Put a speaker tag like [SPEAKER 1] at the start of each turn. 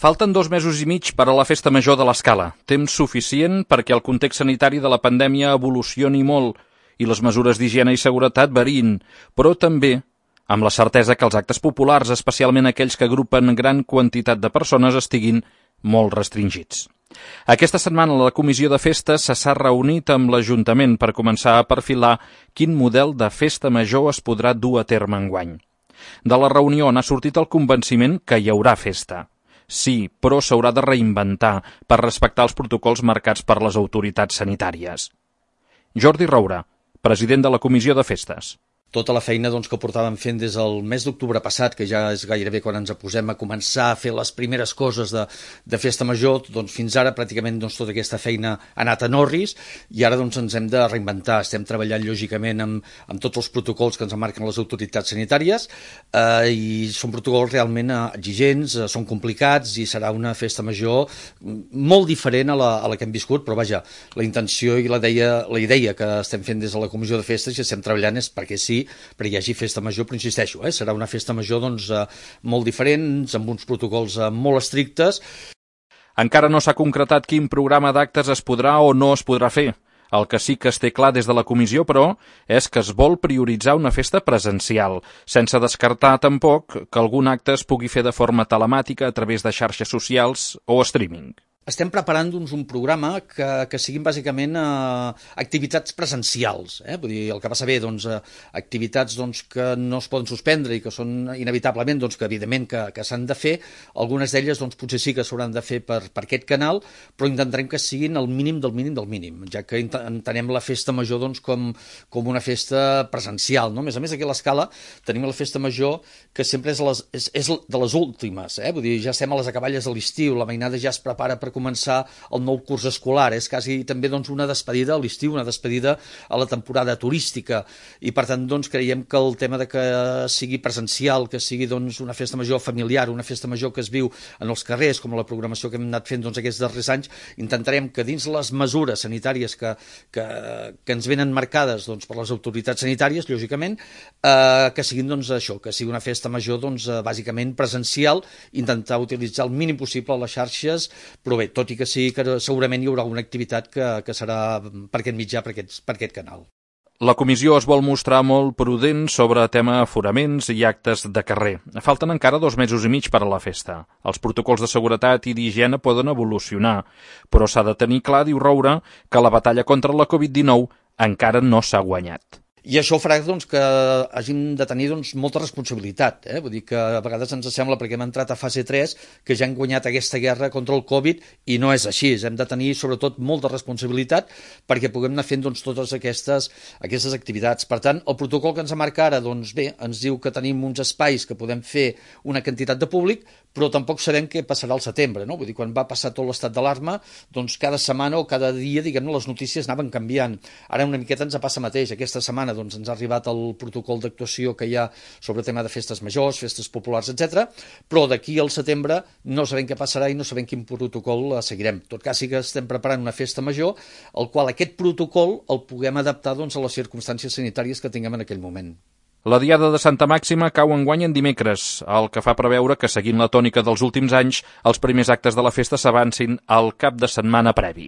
[SPEAKER 1] Falten 2 mesos i mig per a la festa major de l'Escala. Temps suficient perquè el context sanitari de la pandèmia evolucioni molt i les mesures d'higiene i seguretat variïn, però també amb la certesa que els actes populars, especialment aquells que agrupen gran quantitat de persones, estiguin molt restringits. Aquesta setmana la Comissió de Festes s'ha reunit amb l'Ajuntament per començar a perfilar quin model de festa major es podrà dur a terme enguany. De la reunió n'ha sortit el convenciment que hi haurà festa. Sí, però s'haurà de reinventar per respectar els protocols marcats per les autoritats sanitàries. Jordi Roura, president de la Comissió de Festes.
[SPEAKER 2] Tota la feina que portàvem fent des del mes d'octubre passat, que ja és gairebé quan ens posem a començar a fer les primeres coses de festa major, fins ara pràcticament tota aquesta feina ha anat en orris i ara ens hem de reinventar. Estem treballant lògicament amb tots els protocols que ens marquen les autoritats sanitàries i són protocols realment exigents, són complicats i serà una festa major molt diferent a la que hem viscut, però vaja, la intenció i la idea que estem fent des de la Comissió de Festes i estem treballant és perquè sí, perquè hi hagi festa major, però insisteixo, serà una festa major molt diferent, amb uns protocols molt estrictes.
[SPEAKER 1] Encara no s'ha concretat quin programa d'actes es podrà o no es podrà fer. El que sí que es té clar des de la comissió, però, és que es vol prioritzar una festa presencial, sense descartar tampoc que algun acte es pugui fer de forma telemàtica a través de xarxes socials o streaming.
[SPEAKER 2] Estem preparant un programa que siguin bàsicament activitats presencials. Vull dir, el que passa bé, activitats que no es poden suspendre i que són inevitablement, que evidentment que s'han de fer. Algunes d'elles potser sí que s'hauran de fer per aquest canal, però intentarem que siguin el mínim del mínim del mínim, ja que entenem la festa major com una festa presencial. No? A més, aquí a l'Escala tenim la festa major que sempre és de les últimes. Vull dir, ja estem a les acaballes de l'estiu, la mainada ja es prepara per començar el nou curs escolar. És quasi també una despedida a l'estiu, una despedida a la temporada turística i per tant creiem que el tema de que sigui presencial, que sigui una festa major familiar, una festa major que es viu en els carrers, com la programació que hem anat fent aquests darrers anys, intentarem que dins les mesures sanitàries que ens venen marcades per les autoritats sanitàries, lògicament, que siguin això, que sigui una festa major bàsicament presencial, intentar utilitzar el mínim possible les xarxes, però bé, tot i que sí que segurament hi haurà alguna activitat que serà per aquest mitjà, per aquest canal.
[SPEAKER 1] La comissió es vol mostrar molt prudent sobre tema aforaments i actes de carrer. Falten encara 2 mesos i mig per a la festa. Els protocols de seguretat i d'higiene poden evolucionar, però s'ha de tenir clar, diu Roura, que la batalla contra la Covid-19 encara no s'ha guanyat.
[SPEAKER 2] I això farà que hàgim de tenir molta responsabilitat. Vull dir que a vegades ens sembla, perquè hem entrat a fase 3, que ja hem guanyat aquesta guerra contra el Covid i no és així. Hem de tenir sobretot molta responsabilitat perquè puguem anar fent totes aquestes activitats. Per tant, el protocol que ens marca ara ens diu que tenim uns espais que podem fer una quantitat de públic, però tampoc sabem què passarà al setembre. No? Vull dir, quan va passar tot l'estat d'alarma, cada setmana o cada dia, les notícies anaven canviant. Ara una miqueta ens passa mateix. Aquesta setmana ens ha arribat el protocol d'actuació que hi ha sobre el tema de festes majors, festes populars, etc. Però d'aquí al setembre no sabem què passarà i no sabem quin protocol seguirem. En tot cas, sí que estem preparant una festa major, el qual aquest protocol el puguem adaptar a les circumstàncies sanitàries que tinguem en aquell moment.
[SPEAKER 1] La Diada de Santa Màxima cau enguany en dimecres, el que fa preveure que, seguint la tònica dels últims anys, els primers actes de la festa s'avancin al cap de setmana previ.